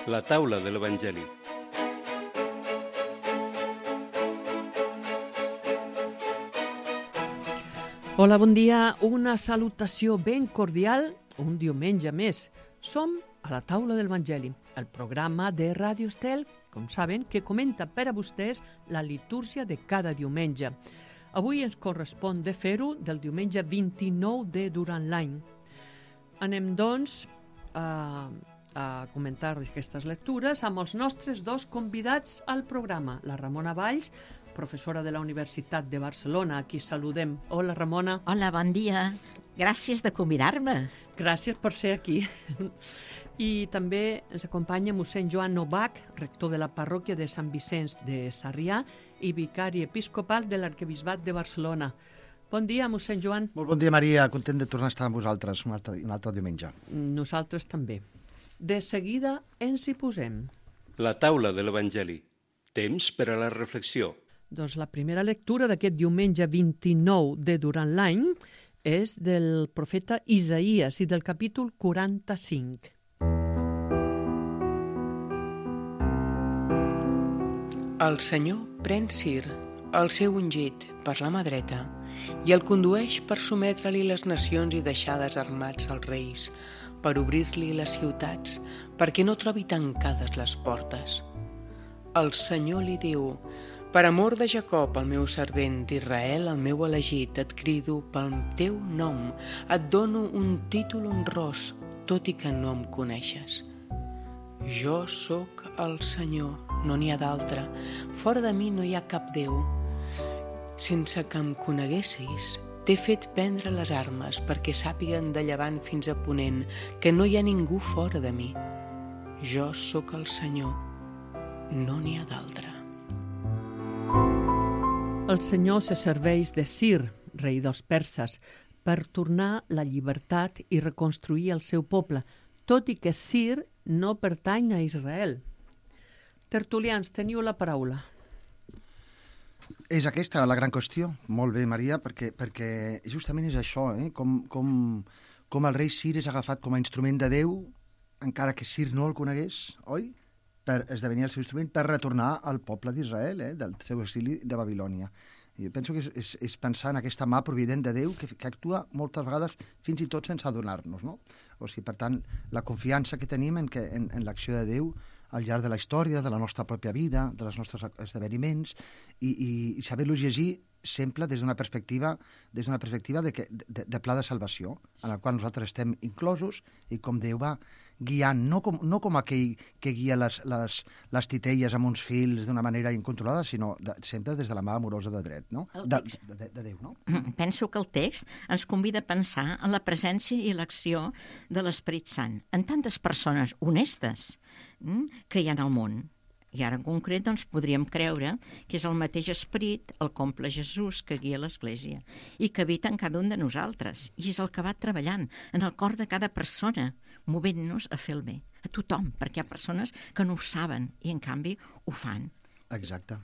La taula de l'Evangeli. Hola, bon dia. Una salutació ben cordial un diumenge més. Som a la taula de l'Evangeli, el programa de Ràdio Estel, com saben, que comenta per a vostès la litúrgia de cada diumenge. Avui ens correspon de fer-ho del diumenge 29 de durant l'any. Anem, doncs, a comentar aquestes lectures amb els nostres dos convidats al programa. La Ramona Valls, professora de la Universitat de Barcelona, a qui saludem. Hola, Ramona. Hola, bon dia. Gràcies de convidar-me. Gràcies per ser aquí. I també ens acompanya mossèn Joan Novak, rector de la parròquia de Sant Vicenç de Sarrià i vicari episcopal de l'Arquebisbat de Barcelona. Bon dia, mossèn Joan. Molt bon dia, Maria. Content de tornar a estar amb vosaltres un altre diumenge. Nosaltres també. De seguida ens hi posem. La taula de l'Evangeli. Temps per a la reflexió. Doncs la primera lectura d'aquest diumenge 29 de durant l'any és del profeta Isaïes i del capítol 45. El Senyor pren Cir, el seu ungit, per la mà dreta, i el condueix per sometre-li les nacions i deixar desarmats els reis, per obrir-li les ciutats, perquè no trobi tancades les portes. El Senyor li diu: per amor de Jacob, el meu servent, d'Israel, el meu elegit, et crido pel teu nom, et dono un títol honrós, tot i que no em coneixes. Jo sóc el Senyor, no n'hi ha d'altre. Fora de mi no hi ha cap Déu. Sense que em coneguessis, t'he fet prendre les armes perquè sàpiguen de llevant fins a ponent que no hi ha ningú fora de mi. Jo sóc el Senyor, no n'hi ha d'altre. El Senyor se serveix de Cir, rei dels perses, per tornar la llibertat i reconstruir el seu poble, tot i que Cir no pertany a Israel. Tertulians, teniu la paraula. És aquesta la gran qüestió. Molt bé, Maria, perquè justament és això, com el rei Cir és agafat com a instrument de Déu, encara que Cir no el conegués, oi? Per esdevenir el seu instrument per retornar al poble d'Israel, del seu exili de Babilònia. Jo penso que és pensar en aquesta mà provident de Déu que actua moltes vegades fins i tot sense adonar-nos, no? O sigui, per tant, la confiança que tenim en l'acció de Déu al llarg de la història, de la nostra pròpia vida, dels nostres esdeveniments, i saber-los llegir sempre des d'una perspectiva de pla de salvació, en el qual nosaltres estem inclosos i com Déu va guiant, no com aquell que guia les titelles amb uns fils d'una manera incontrolada, sinó sempre des de la mà amorosa de dret, no? De Déu, no? Penso que el text ens convida a pensar en la presència i l'acció de l'Esperit Sant, en tantes persones honestes que hi ha al món. I ara en concret doncs, podríem creure que és el mateix esperit, el comple Jesús, que guia l'Església i que habita en cada un de nosaltres i és el que va treballant en el cor de cada persona, movent-nos a fer el bé, a tothom, perquè hi ha persones que no ho saben i en canvi ho fan. Exacte.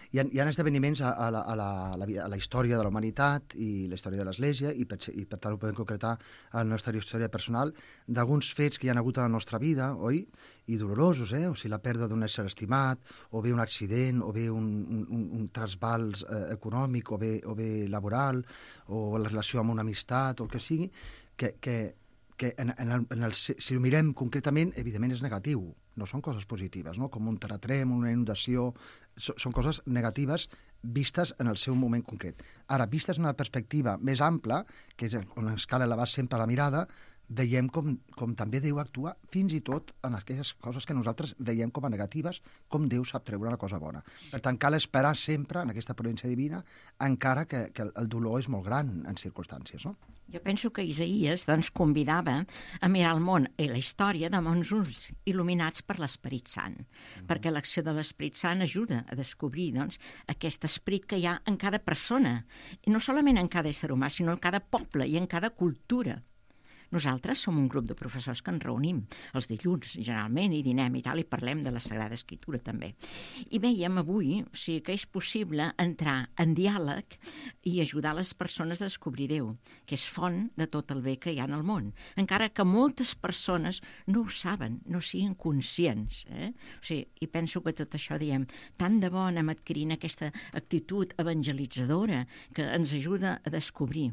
Hi ha esdeveniments a la història de la humanitat i la història de l'Església i per tant ho podem concretar a la nostra història personal d'alguns fets que hi ha hagut a la nostra vida, oi? I dolorosos, o sigui, la pèrdua d'un ésser estimat, o bé un accident, o bé un trasbals econòmic, o bé laboral, o la relació amb una amistat, o el que sigui, que si ho mirem concretament, evidentment és negatiu. No són coses positives, no? Com un terratrèmol, una inundació, són coses negatives vistes en el seu moment concret. Ara, vistes en una perspectiva més ampla, que és on ens cal elevar sempre la mirada, veiem com també Déu actua fins i tot en aquelles coses que nosaltres veiem com a negatives, com Déu sap treure una cosa bona. Per tant, cal esperar sempre en aquesta providència divina, encara que el dolor és molt gran en circumstàncies, no? Jo penso que Isaïes doncs, convidava a mirar el món i la història de bons ulls il·luminats per l'Esperit Sant, perquè l'acció de l'Esperit Sant ajuda a descobrir doncs, aquest esperit que hi ha en cada persona, i no solament en cada ésser humà, sinó en cada poble i en cada cultura. Nosaltres som un grup de professors que ens reunim els dilluns, generalment, i dinem i tal, i parlem de la Sagrada Escritura també. I veiem avui que és possible entrar en diàleg i ajudar les persones a descobrir Déu, que és font de tot el bé que hi ha en el món. Encara que moltes persones no ho saben, no siguin conscients. I penso que tot això, diem, tant de bo anem adquirint aquesta actitud evangelitzadora que ens ajuda a descobrir.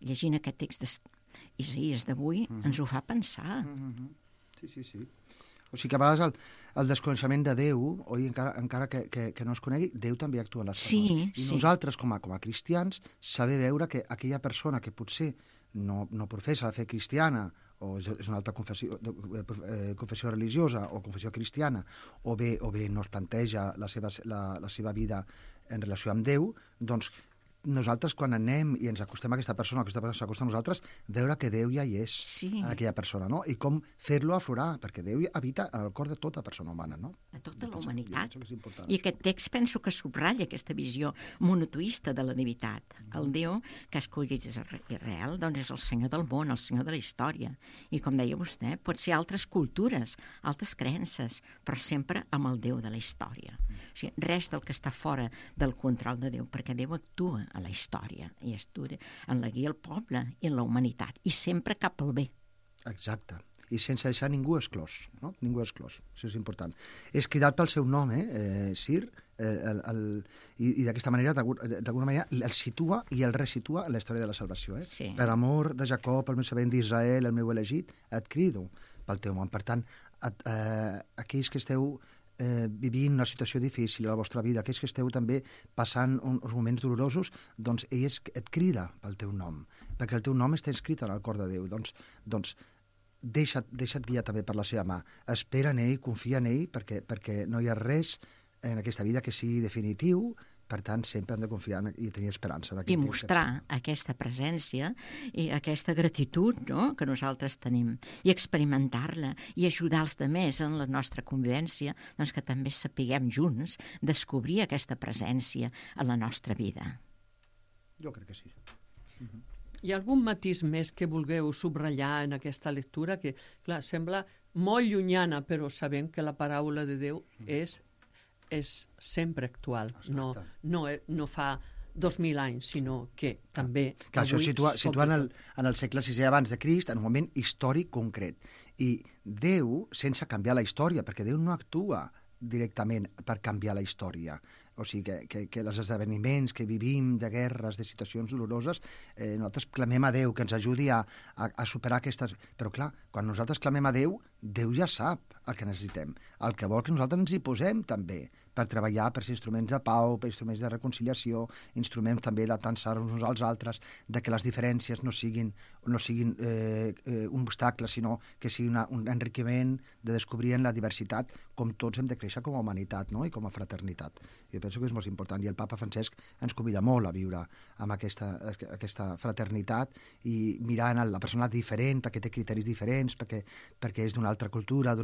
Llegint aquest text d'Isaïes d'avui ens ho fa pensar. Sí. O sigui que a vegades el desconeixement de Déu, oi, encara que no es conegui, Déu també actua en les persones. I nosaltres, com a cristians, saber veure que aquella persona que potser no professa la fe cristiana, o és una altra confessió religiosa o confessió cristiana, o bé no es planteja la seva vida en relació amb Déu, doncs nosaltres quan anem i ens acostem a aquesta persona s'acosta a nosaltres, veure que Déu ja hi és en aquella persona, no? I com fer-lo aflorar, perquè Déu habita en el cor de tota persona humana, no? De tota la humanitat. I aquest text penso que subratlla aquesta visió monoteista de la divinitat. El Déu que ha escollit Israel, doncs és el Senyor del món, el Senyor de la història. I com deia vostè, pot ser altres cultures, altres creences, però sempre amb el Déu de la història. O sigui, res del que està fora del control de Déu, perquè Déu actua a la història, i estudia en la guia al poble i en la humanitat, i sempre cap al bé. Exacte, i sense deixar ningú exclòs, no? Ningú exclòs, això és important. És cridat pel seu nom, Sir, i d'aquesta manera, d'alguna manera, el situa i el resitua en la història de la salvació. Sí. Per amor de Jacob, el meu servent d'Israel, el meu elegit, et crido pel teu nom. Per tant, aquells que esteu vivint una situació difícil a la vostra vida, aquells que esteu també passant uns moments dolorosos, doncs ell et crida pel teu nom, perquè el teu nom està inscrit en el cor de Déu. Doncs deixa't guiar també per la seva mà. Espera en ell, confia en ell, perquè no hi ha res en aquesta vida que sigui definitiu. Per tant, sempre hem de confiar i tenir esperança. I mostrar aquesta presència i aquesta gratitud, no?, que nosaltres tenim, i experimentar-la, i ajudar els altres en la nostra convivència, doncs que també sapiguem junts descobrir aquesta presència a la nostra vida. Jo crec que sí. Hi ha algun matís més que vulgueu subratllar en aquesta lectura que, clar, sembla molt llunyana, però sabem que la paraula de Déu és sempre actual, no fa 2.000 anys, sinó que també que això situa en el segle VI abans de Crist, en un moment històric concret. I Déu, sense canviar la història, perquè Déu no actua directament per canviar la història. O sigui, que els esdeveniments que vivim de guerres, de situacions doloroses, nosaltres clamem a Déu que ens ajudi a superar aquestes... Però clar, quan nosaltres clamem a Déu, Déu ja sap el que necessitem. El que vol que nosaltres ens hi posem també, per treballar per ser instruments de pau, per instruments de reconciliació, instruments també de tensar-nos uns als altres, de que les diferències no siguin un obstacle, sinó que sigui un enriquiment de descobrir en la diversitat com tots hem de créixer com a humanitat, no?, i com a fraternitat. Jo penso que és molt important, i el papa Francesc ens convida molt a viure amb aquesta fraternitat i mirar en la persona diferent, perquè té criteris diferents, perquè és d'una altra cultura,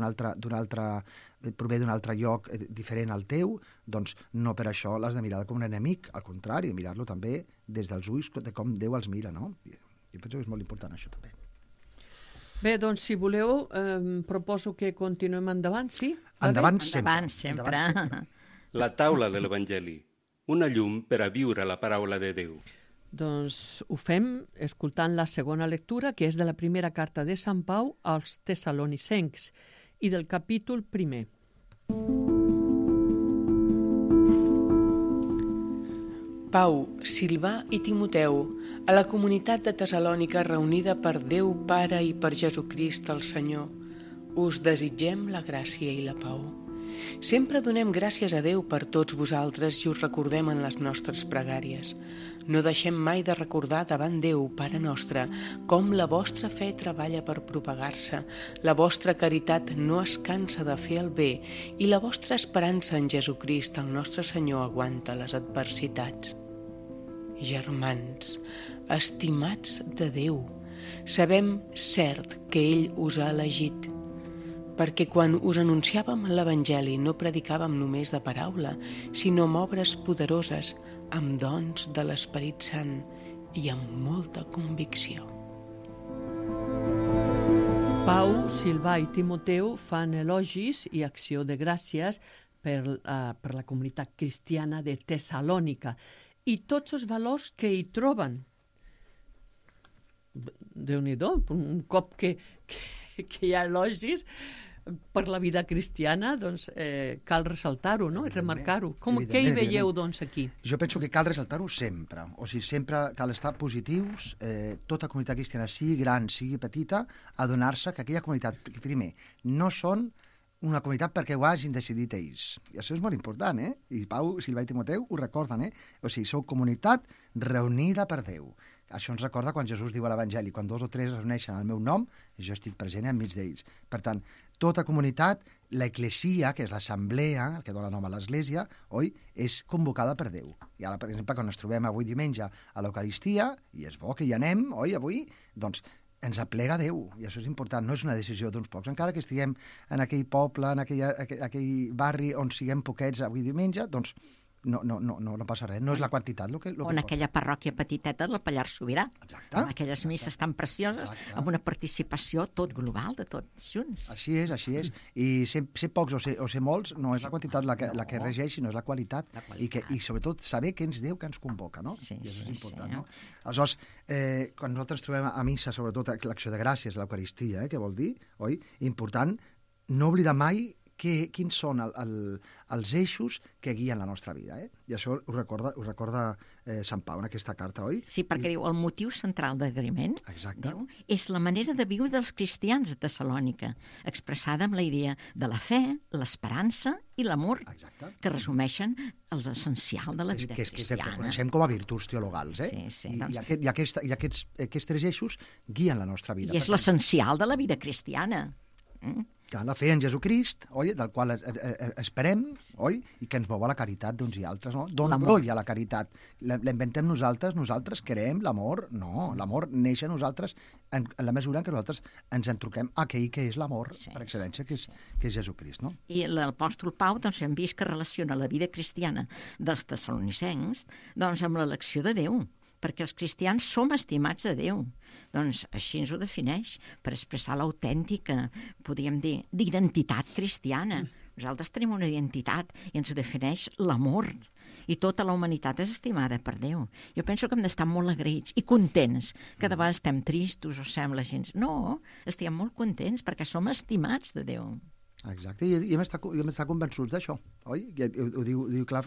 prové d'un altre lloc diferent al teu, doncs no per això l'has de mirar com un enemic, al contrari, mirar-lo també des dels ulls de com Déu els mira, no? Jo penso que és molt important això també. Bé, doncs, si voleu, proposo que continuem endavant, sí? Endavant sempre. La taula de l'Evangeli, una llum per a viure la paraula de Déu. Doncs ho fem escoltant la segona lectura, que és de la primera carta de Sant Pau als Tessalonicencs i del capítol 1. Pau, Silvà i Timoteu, a la comunitat de Tessalònica reunida per Déu Pare i per Jesucrist el Senyor, us desitgem la gràcia i la pau. Sempre donem gràcies a Déu per tots vosaltres i us recordem en les nostres pregàries. No deixem mai de recordar davant Déu, Pare nostre, com la vostra fe treballa per propagar-se, la vostra caritat no es cansa de fer el bé i la vostra esperança en Jesucrist, el nostre Senyor, aguanta les adversitats. Germans, estimats de Déu, sabem cert que ell us ha elegit, perquè quan us anunciàvem l'Evangeli no predicàvem només de paraula, sinó amb obres poderoses, amb dons de l'Esperit Sant i amb molta convicció. Pau, Silvà i Timoteu fan elogis i acció de gràcies per la comunitat cristiana de Tessalònica i tots els valors que hi troben. Déu-n'hi-do, un cop que hi ha elogis per la vida cristiana, doncs cal ressaltar-ho, no? I remarcar-ho. Què hi veieu, doncs, aquí? Jo penso que cal ressaltar-ho sempre. O sigui, sempre cal estar positius, tota comunitat cristiana, sigui gran, sigui petita, adonar-se que aquella comunitat, primer, no són una comunitat perquè ho hagin decidit ells. I això és molt important, eh? I Pau, Silvà i Timoteu ho recorden, eh? O sigui, sou comunitat reunida per Déu. Això ens recorda quan Jesús diu a l'Evangeli, quan 2 o 3 es reuneixen al meu nom, jo estic present enmig d'ells. Per tant, tota comunitat, l'eclesia, que és l'assemblea, el que dona nom a l'església, oi, és convocada per Déu. I ara, per exemple, quan ens trobem avui diumenge a l'Eucaristia, i és bo que hi anem, oi, avui, doncs ens aplega Déu, i això és important, no és una decisió d'uns pocs. Encara que estiguem en aquell poble, en aquell barri on siguem poquets avui diumenge, doncs no passa res, no és la quantitat. O en aquella parròquia petiteta del Pallars Sobirà. Exacte. Amb aquelles misses tan precioses, amb una participació tot global de tots junts. Així és. I ser pocs o ser molts no és la quantitat la que regeix, sinó és la qualitat. I sobretot saber que és Déu que ens convoca, no? I això és important, no? Aleshores, quan nosaltres trobem a missa, sobretot l'acció de gràcies, l'Eucaristia, què vol dir? Oi? Important no oblidar mai quins són els eixos que guien la nostra vida. I això ho recorda Sant Pau en aquesta carta, oi? Sí, perquè diu, el motiu central d'agraïment és la manera de viure dels cristians de Tessalònica, expressada amb la idea de la fe, l'esperança i l'amor, que resumeixen l'essencial de la vida cristiana. Que coneixem com a virtuts teologals. I aquests 3 eixos guien la nostra vida. I és l'essencial de la vida cristiana. La fe en Jesucrist, oi, del qual esperem, oi, i que ens mou a la caritat d'uns i altres, no? D'on brolla la caritat? L'inventem nosaltres creem l'amor? No, l'amor neix a nosaltres en la mesura en què nosaltres ens entruquem a aquell que és l'amor, per excel·lència, que és Jesucrist, no? I l'apòstol Pau, doncs, hem vist que relaciona la vida cristiana dels tessalonicencs, doncs, amb l'elecció de Déu, perquè els cristians som estimats de Déu. Doncs així ens ho defineix, per expressar l'autèntica, podríem dir, d'identitat cristiana. Nosaltres tenim una identitat i ens defineix l'amor. I tota la humanitat és estimada per Déu. Jo penso que hem d'estar molt agraïts i contents. Cada vegada estem tristos o sembla gens. No, estem molt contents perquè som estimats de Déu. Exacte, i hem d'estar convençuts d'això, oi? Ho diu clar,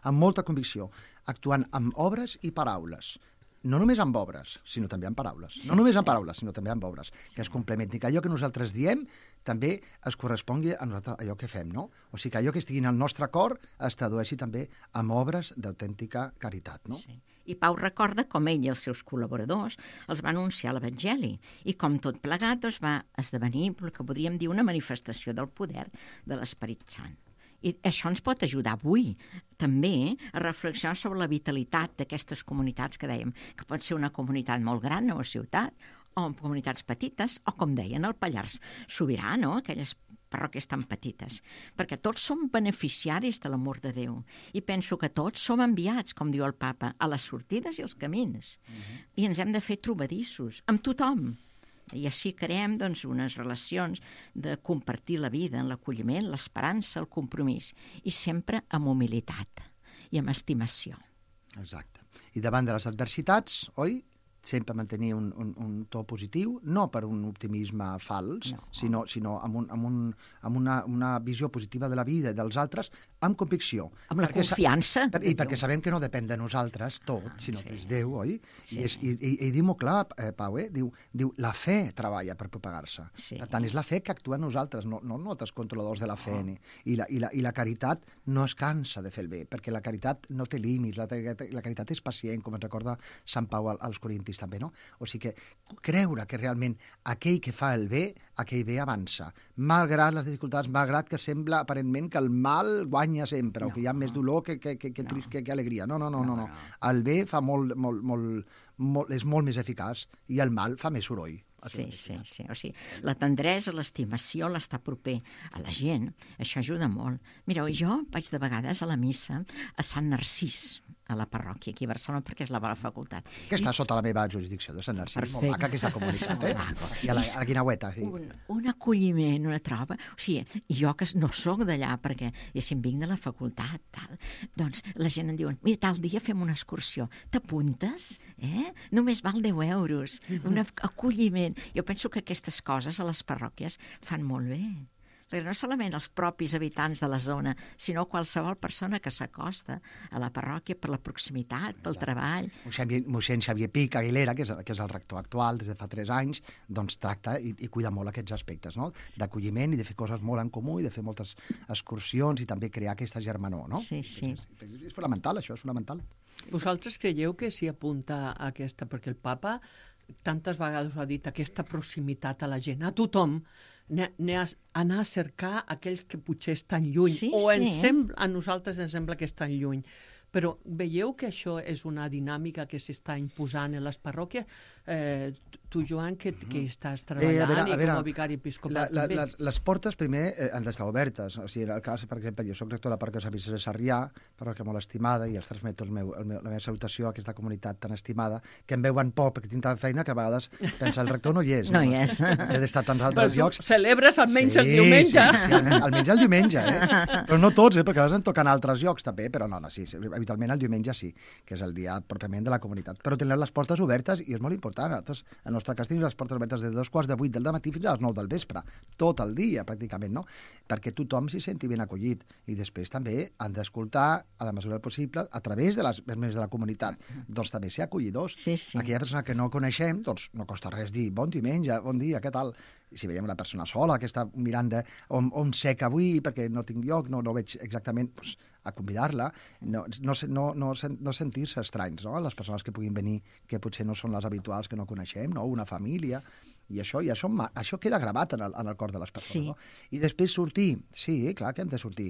amb molta convicció, actuant amb obres i paraules. No només amb obres, sinó també amb paraules. No només amb paraules, sinó també amb obres, que es complementin, que allò que nosaltres diem també es correspongui a allò que fem, no? O sigui, que allò que estigui en el nostre cor es tradueixi també amb obres d'autèntica caritat, no? Sí. I Pau recorda com ell i els seus col·laboradors els van anunciar l'Evangeli i com tot plegat doncs, va esdevenir el que podríem dir una manifestació del poder de l'Esperit Sant. I això ens pot ajudar avui també a reflexionar sobre la vitalitat d'aquestes comunitats que dèiem, que pot ser una comunitat molt gran o ciutat, o comunitats petites, o com deien, el Pallars Sobirà, no? Aquelles parròquies tan petites, perquè tots som beneficiaris de l'amor de Déu i penso que tots som enviats, com diu el papa, a les sortides i els camins. I ens hem de fer trobadissos amb tothom. I així creem doncs, unes relacions de compartir la vida en l'acolliment, l'esperança, el compromís, i sempre amb humilitat i amb estimació. Exacte. I davant de les adversitats, oi? Sempre mantenir un to positiu, no per un optimisme fals, sinó amb una visió positiva de la vida i dels altres, amb convicció. Amb la confiança. I perquè sabem que no depèn de nosaltres tot, sinó que és Déu, oi? I diu molt clar, Pau, diu la fe treballa per propagar-se. Per tant, és la fe que actua en nosaltres, no nosaltres controladors de la fe. I la caritat no es cansa de fer el bé, perquè la caritat no té límits, la caritat és pacient, com ens recorda Sant Pau als Corintis també, no? O sigui que creure que realment aquell que fa el bé, aquell bé avança. Malgrat les dificultats, malgrat que sembla aparentment que el mal guanya sempre, o que hi ha més dolor que alegria. No. El bé fa és molt més eficaç i el mal fa més soroll. Sí. O sigui, la tendresa, l'estimació, l'estar proper a la gent, això ajuda molt. Mireu, jo vaig de vegades a la missa a Sant Narcís, a la parròquia aquí a Barcelona, perquè és la bona facultat. Que està sota la meva jurisdicció de Sant Narcís. Perfecte. Molt maca aquesta comunitat, I a la Guinaueta. Sí. Un acolliment, una troba. O sigui, jo que no sóc d'allà, perquè diguéssim, vinc de la facultat, tal, doncs la gent em diuen, mira, tal dia fem una excursió, t'apuntes? Només val 10 euros, un acolliment. Jo penso que aquestes coses a les parròquies fan molt bé. Perquè no solament els propis habitants de la zona, sinó qualsevol persona que s'acosta a la parròquia per la proximitat, pel treball. Mossèn Xavier Pic Aguilera, que és el rector actual des de fa 3 anys, doncs tracta i cuida molt aquests aspectes, no? D'acolliment i de fer coses molt en comú i de fer moltes excursions i també crear aquesta germanor, no? Sí. És fonamental, això és fonamental. Vosaltres creieu que s'hi apunta a aquesta? Perquè el papa tantes vegades ho ha dit, aquesta proximitat a la gent, a tothom, anar a cercar aquells que potser estan lluny, a nosaltres ens sembla que estan lluny. Però veieu que això és una dinàmica que s'està imposant en les parròquies? Tu, Joan, que estàs treballant i com a vicari episcopal també. Les portes, primer, han d'estar obertes. O sigui, en el cas, per exemple, jo soc rector de la parròquia Sant Vicenç de Sarrià, parròquia molt estimada, i els transmeto la meva salutació a aquesta comunitat tan estimada, que em veuen poc, perquè tinc tanta feina que a vegades pensa el rector no hi és. No hi és. He d'estar a tants altres llocs. Celebres almenys el diumenge. Sí, almenys el diumenge, Però no tots, perquè a vegades em toquen altres llocs també, però no, sí, habitualment el diumenge sí, que és el dia pròpiament de la comunitat. Però tenen les portes obertes i és molt important. Nosaltres, al nostre cas, tenim les portes obertes des de 2:45 del matí fins a les 9 del vespre, tot el dia, pràcticament, no? Perquè tothom s'hi senti ben acollit. I després també han d'escoltar, a la mesura del possible, a través de les membres de la comunitat, doncs també ser acollidors. Sí. Aquella persona que no coneixem, doncs no costa res dir bon diumenge, bon dia, què tal? I si veiem una persona sola que està mirant on sec avui perquè no tinc lloc, no veig exactament, doncs, a convidar-la, no sentir-se estranys, no? Les persones que puguin venir, que potser no són les habituals, que no coneixem, no? Una família, i això queda gravat en el cor de les persones. Sí. No? I després sortir, sí, clar que hem de sortir.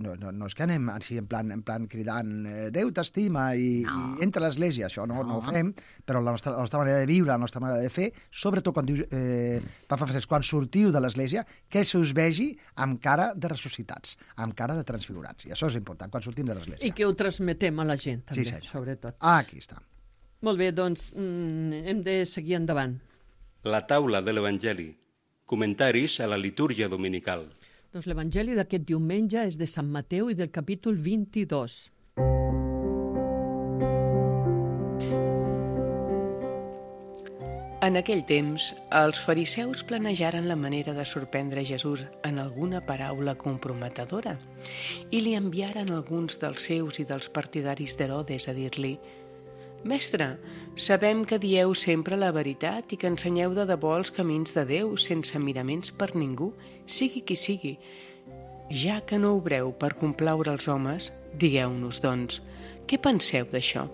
No és que anem així en plan cridant Déu t'estima i entra a l'església, això no ho fem, però la nostra manera de viure, la nostra manera de fer, sobretot quan diu Papa Francesc, quan sortiu de l'església, que se us vegi amb cara de ressuscitats, amb cara de transfigurats. I això és important, quan sortim de l'església. I que ho transmetem a la gent, també, sobretot. Aquí està. Molt bé, doncs hem de seguir endavant. La taula de l'Evangeli. Comentaris a la litúrgia dominical. Doncs l'Evangeli d'aquest diumenge és de Sant Mateu i del capítol 22. En aquell temps, els fariseus planejaren la manera de sorprendre Jesús en alguna paraula comprometedora i li enviaren alguns dels seus i dels partidaris d'Herodes a dir-li: «Mestre, sabem que dieu sempre la veritat i que ensenyeu de debò els camins de Déu sense miraments per ningú, sigui qui sigui. Ja que no obreu per complaure els homes, digueu-nos, doncs, què penseu d'això?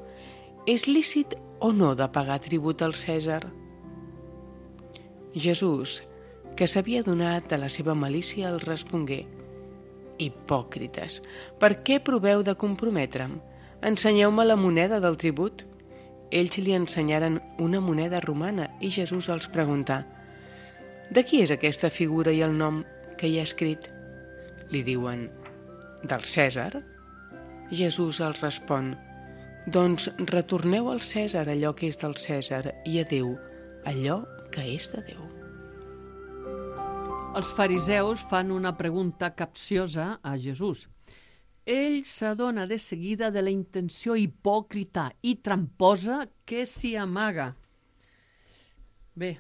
És lícit o no de pagar tribut al Cèsar?» Jesús, que s'havia donat a la seva malícia, els respongué: «Hipòcrites, per què proveu de comprometre'm? Ensenyeu-me la moneda del tribut». Ells li ensenyaren una moneda romana i Jesús els preguntà: «De qui és aquesta figura i el nom que hi ha escrit?» Li diuen: «Del Cèsar». Jesús els respon: «Doncs retorneu al Cèsar allò que és del Cèsar i a Déu allò que és de Déu». Els fariseus fan una pregunta capciosa a Jesús. Ell s'adona de seguida de la intenció hipòcrita i tramposa que s'hi amaga. Bé,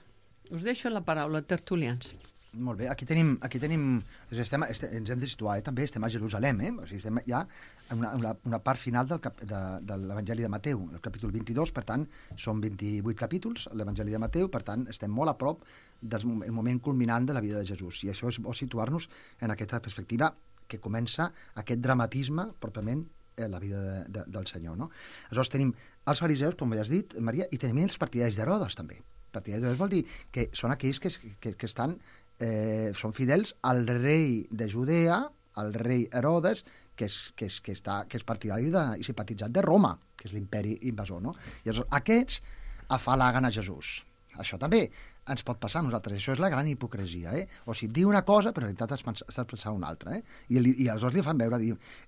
us deixo la paraula, tertulians. Molt bé, aquí tenim ens hem de situar, també estem a Jerusalem, o sigui, estem ja en una part final de l'Evangeli de Mateu, el capítol 22, per tant, són 28 capítols, l'Evangeli de Mateu, per tant, estem molt a prop del moment culminant de la vida de Jesús, i això és bo situar-nos en aquesta perspectiva que comença aquest dramatisme pròpiament en la vida del Senyor, no? Aleshores tenim els fariseus, com ja has dit, Maria, i tenim els partidaris d'Herodes, també. Partidaris d'Herodes vol dir que són aquells que estan són fidels al rei de Judea, al rei Herodes, que és partidari i simpatitzat de Roma, que és l'imperi invasor, no? I aleshores aquests afalaguen a Jesús. Això també ens pot passar a nosaltres. Això és la gran hipocresia, O sigui, diu una cosa, però en realitat estàs pensant una altra, I aleshores li fan veure,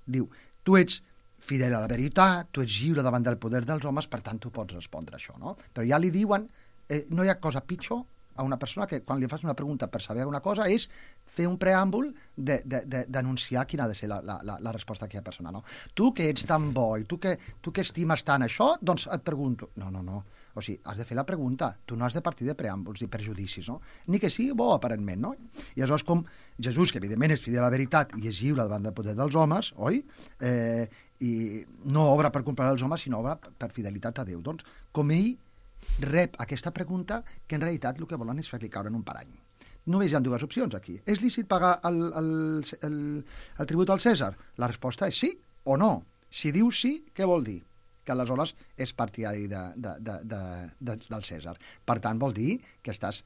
diu, tu ets fidel a la veritat, tu ets lliure davant del poder dels homes, per tant, tu pots respondre això, no? Però ja li diuen, no hi ha cosa pitjor a una persona que quan li fas una pregunta per saber una cosa és fer un preàmbul d'anunciar quina ha de ser la resposta d'aquella persona, no? Tu que ets tan bo i tu que estimes tant això, doncs et pregunto. No. O sigui, has de fer la pregunta. Tu no has de partir de preàmbuls i prejudicis, no? Ni que sigui bo, aparentment, no? I aleshores, com Jesús, que evidentment és fidel a la veritat i és lliure davant del poder dels homes, oi? I no obra per comprar els homes, sinó obra per fidelitat a Déu. Doncs, com ell rep aquesta pregunta, que en realitat el que volen és fer-li caure en un parany. Només hi ha dues opcions aquí. És lícit pagar el tribut al Cèsar? La resposta és sí o no. Si diu sí, què vol dir? Que aleshores és partidari del Cèsar. Per tant, vol dir que estàs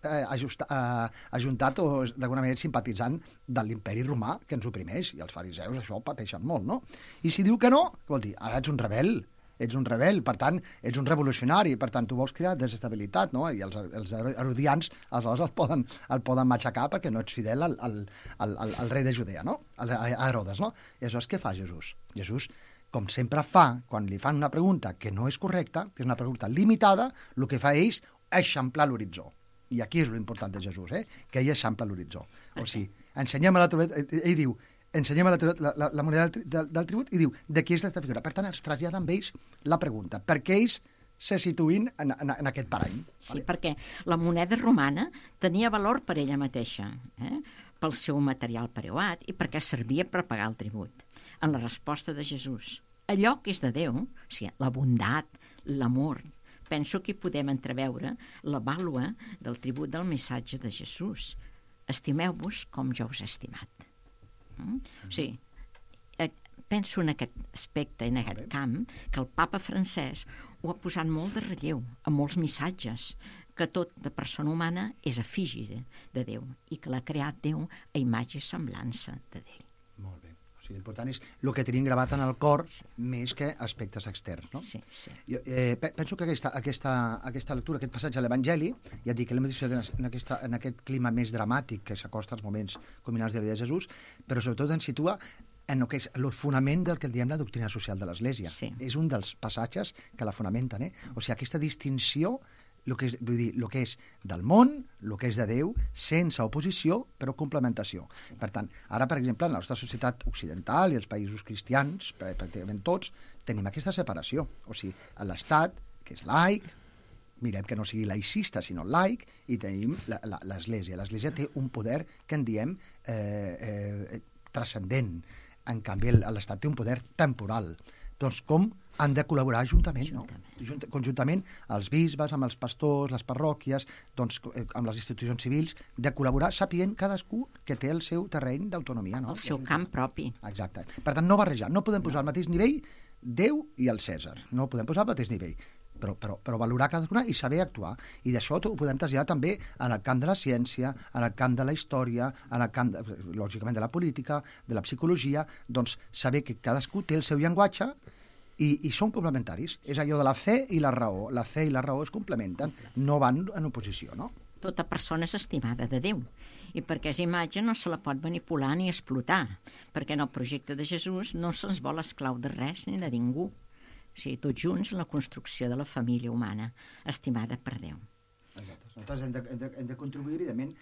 ajuntat o d'alguna manera simpatitzant de l'imperi romà que ens oprimeix, i els fariseus això ho pateixen molt, no? I si diu que no, què vol dir? Ara ets un rebel, per tant, ets un revolucionari, per tant, tu vols crear desestabilitat, no? I els herodians aleshores el poden matxacar perquè no ets fidel al rei de Judea, no? A Herodes, no? I aleshores què fa Jesús? Jesús, com sempre fa, quan li fan una pregunta que no és correcta, que és una pregunta limitada, el que fa és eixamplar l'horitzó. I aquí és l'important de Jesús, que ell eixampla l'horitzó. O sigui, ell diu, ensenyem la moneda del tribut i diu de qui és aquesta figura. Per tant, es trasllada amb ells la pregunta. Per què ells se situïn en aquest parany? Sí, perquè la moneda romana tenia valor per ella mateixa, pel seu material preuat i perquè servia per pagar el tribut. En la resposta de Jesús, allò que és de Déu, o sigui, la bondat, l'amor, penso que hi podem entreveure la vàlua del tribut del missatge de Jesús. Estimeu-vos com jo us he estimat. O sigui, penso en aquest aspecte, en aquest camp, que el papa francès ho ha posat molt de relleu, en molts missatges, que tot de persona humana és efígie de Déu i que l'ha creat Déu a imatge i semblança de Déu. Molt bé. O sigui, l'important és el que tenim gravat en el cor més que aspectes externs, no? Sí. Jo, penso que aquesta lectura, aquest passatge a l'Evangeli, ja et dic, l'hem editat en aquest clima més dramàtic que s'acosta als moments culminants de la vida de Jesús, però sobretot ens situa en el que és el fonament del que diem la doctrina social de l'Església. Sí. És un dels passatges que la fonamenten, O sigui, aquesta distinció, el que és del món, el que és de Déu, sense oposició, però complementació. Per tant, ara, per exemple, en la nostra societat occidental i els països cristians, pràcticament tots, tenim aquesta separació. O sigui, l'Estat, que és laic, mirem que no sigui laicista, sinó laic, i tenim l'Església. L'Església té un poder que en diem transcendent. En canvi, l'Estat té un poder temporal. Doncs com han de col·laborar juntament, no? Conjuntament, els bisbes, amb els pastors, les parròquies, doncs, amb les institucions civils, de col·laborar sapient cadascú que té el seu terreny d'autonomia, no? El seu camp propi. Exacte. Per tant, no barrejar, no podem posar al mateix nivell Déu i el Cèsar. No ho podem posar al mateix nivell. Però valorar cadascuna i saber actuar. I d'això ho podem traslladar també en el camp de la ciència, en el camp de la història, en el camp, lògicament, de la política, de la psicologia, doncs saber que cadascú té el seu llenguatge i són complementaris. És allò de la fe i la raó. La fe i la raó es complementen, no van en oposició, no? Tota persona és estimada de Déu i perquè és imatge no se la pot manipular ni explotar, perquè en el projecte de Jesús no se'ns vol esclau de res ni de ningú. O sigui, tots junts en la construcció de la família humana, estimada per Déu. Exacte. Nosaltres hem de contribuir, evidentment.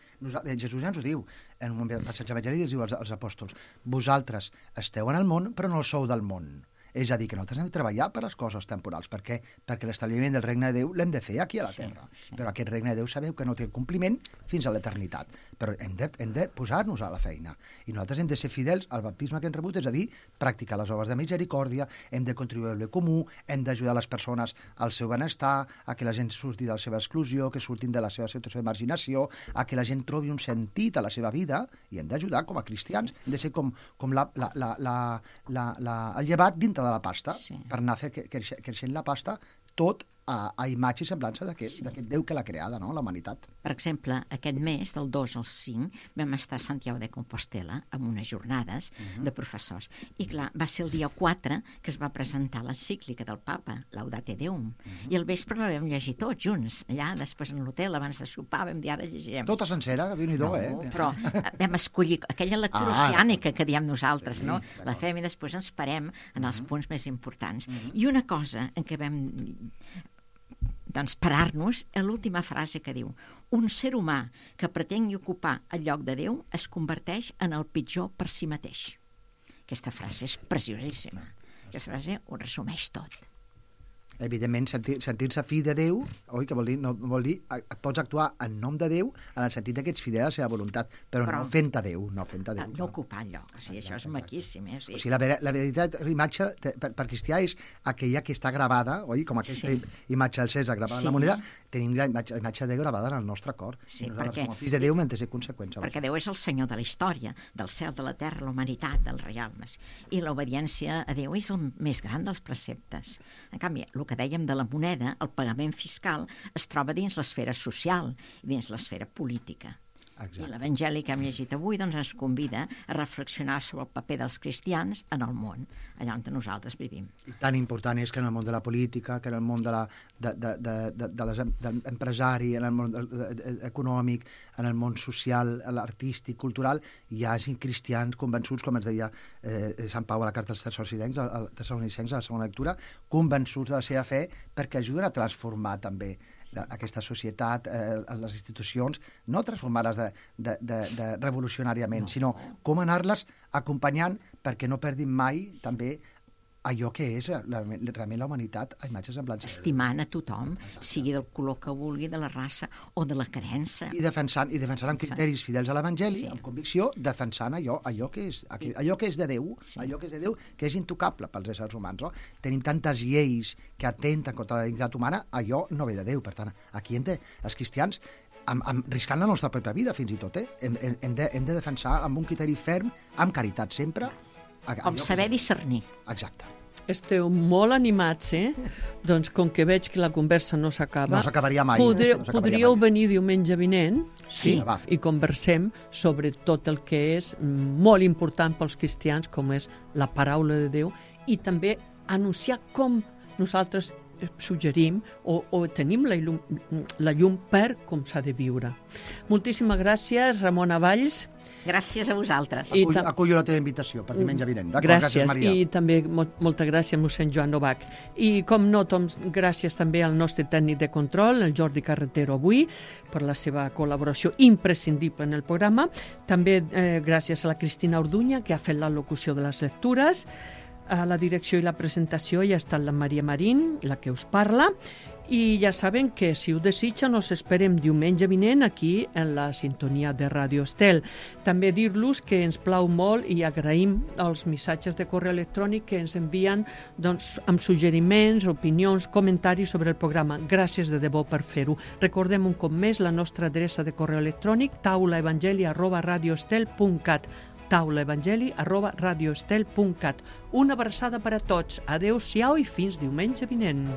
Jesús ja ens ho diu, en un passatge evangèlic diu als apòstols: vosaltres esteu en el món, però no sou del món. És a dir, que nosaltres hem de treballar per les coses temporals, perquè l'establiment del regne de Déu l'hem de fer aquí a la terra. Sí. Però aquest regne de Déu sabeu que no té compliment fins a l'eternitat. Però hem de posar-nos a la feina. I nosaltres hem de ser fidels al baptisme que hem rebut, és a dir, practicar les obres de misericòrdia, hem de contribuir al bé comú, hem d'ajudar les persones al seu benestar, a que la gent surti de la seva exclusió, que surtin de la seva situació de marginació, a que la gent trobi un sentit a la seva vida, i hem d'ajudar com a cristians. Hem de ser com el llevat dintre de la pasta, per anar creixent la pasta, tot a imatge i semblança d'aquest Déu que l'ha creada, no? La humanitat. Per exemple, aquest mes, del 2 al 5, vam estar a Santiago de Compostela amb unes jornades de professors. I clar, va ser el dia 4 que es va presentar l'encíclica del papa, Laudate Deum. I al vespre la vam llegir tots junts. Allà, després en l'hotel, abans de sopar, vam dir, ara llegirem. Tota sencera, Déu-n'hi-do, però vam escollir aquella lectura oceànica que diem nosaltres, no? La fem i després ens parem en els punts més importants. I una cosa en què vam parar-nos és l'última frase que diu: un ser humà que pretengui ocupar el lloc de Déu es converteix en el pitjor per si mateix. Aquesta frase és preciosíssima. Aquesta frase ho resumeix tot. Evidentment, sentir-se fill de Déu, oi, que vol dir pots actuar en nom de Déu en el sentit que ets fidel a la seva voluntat, però no fent a Déu. No ocupar el lloc. O sigui, això és maquíssim. O sigui, la veritat, l'imatge per cristià és aquella que està gravada, oi, com aquesta imatge del César gravada en la moneda, tenim la imatge de Déu gravada en el nostre cor. Sí, perquè com a fills de Déu, mentre ser conseqüència. Perquè Déu és el Senyor de la història, del cel, de la terra, la humanitat, dels realmes. I l'obediència a Déu és el més gran dels preceptes. En canvi, el que dèiem de la moneda, el pagament fiscal, es troba dins l'esfera social i dins l'esfera política. Exacte. I l'Evangeli que hem llegit avui ens convida a reflexionar sobre el paper dels cristians en el món, allà on nosaltres vivim. I tan important és que en el món de la política, que en el món de l'empresari, en el món econòmic, en el món social, l'artístic, cultural, hi hagi cristians convençuts, com ens deia Sant Pau a la carta als Tessalonicencs, a la segona lectura, convençuts de la seva fe perquè ajuden a transformar també aquesta societat, les institucions, no transformar-les revolucionàriament, sinó com anar-les acompanyant perquè no perdin mai també allò que és realment la humanitat a imatge i semblança. Estimant a tothom, sigui del color que vulgui, de la raça o de la creença. I defensant amb criteris fidels a l'Evangeli, amb convicció, defensant allò que és de Déu, allò que és de Déu, que és intocable pels éssers humans. No? Tenim tantes lleis que atenten contra la dignitat humana, allò no ve de Déu. Per tant, aquí els cristians, riscant la nostra pròpia vida, fins i tot, hem de defensar amb un criteri ferm, amb caritat sempre. Com saber discernir. Exacte. Esteu molt animats, Doncs com que veig que la conversa no s'acaba... No s'acabaria mai. Podríeu venir diumenge vinent i conversem sobre tot el que és molt important pels cristians, com és la paraula de Déu, i també anunciar com nosaltres suggerim o tenim la llum per com s'ha de viure. Moltíssimes gràcies, Ramona Valls. Gràcies a vosaltres. Acullo la teva invitació per diumenge vinent. Gràcies, Maria. I també molta gràcies, mossèn Joan Novak. I com no, gràcies també al nostre tècnic de control, el Jordi Carretero, avui, per la seva col·laboració imprescindible en el programa. També gràcies a la Cristina Orduña, que ha fet la locució de les lectures. A la direcció i la presentació hi ha estat la Maria Marín, la que us parla. I ja saben que, si ho desitgen, us esperem diumenge vinent aquí en la sintonia de Ràdio Estel. També dir-los que ens plau molt i agraïm els missatges de correu electrònic que ens envien amb suggeriments, opinions, comentaris sobre el programa. Gràcies de debò per fer-ho. Recordem un cop més la nostra adreça de correu electrònic taulaevangeli@radioestel.cat taulaevangeli@radioestel.cat. Una abraçada per a tots. Adéu-siau i fins diumenge vinent.